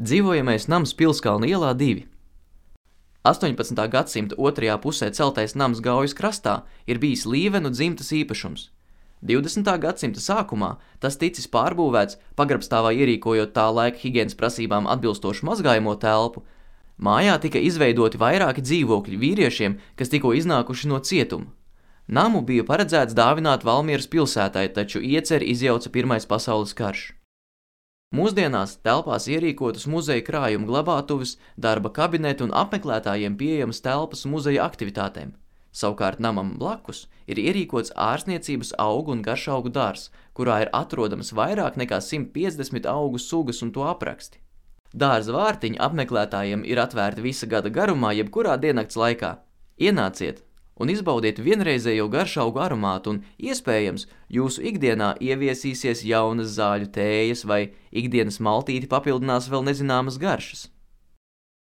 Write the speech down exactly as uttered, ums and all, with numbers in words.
Dzīvojamais nams Pilskalna ielā divi. astoņpadsmitā gadsimta otrajā pusē celtais nams Gaujas krastā ir bijis Līvenu dzimtas īpašums. divdesmitā gadsimta sākumā tas ticis pārbūvēts, pagrabstāvā ierīkojot tā laika higienas prasībām atbilstošu mazgājamo telpu. Mājā tika izveidoti vairāki dzīvokļi vīriešiem, kas tikko iznākuši no cietuma. Namu bija paredzēts dāvināt Valmieras pilsētai, taču ieceri izjauca Pirmais pasaules karš. Mūsdienās telpās ierīkotas muzeja krājuma glabātuves, darba kabineti un apmeklētājiem pieejamas telpas muzeja aktivitātēm. Savukārt namam blakus ir ierīkots ārstniecības augu un garšaugu dārzs, kurā ir atrodamas vairāk nekā simt piecdesmit augu sugas un to apraksti. Dārza vārtiņi apmeklētājiem ir atvērti visa gada garumā, jebkurā diennakts laikā. Ienāciet un izbaudiet vienreizējo garšaugu aromātu un, iespējams, jūsu ikdienā ieviesīsies jaunas zāļu tējas vai ikdienas maltīti papildinās vēl nezināmas garšas.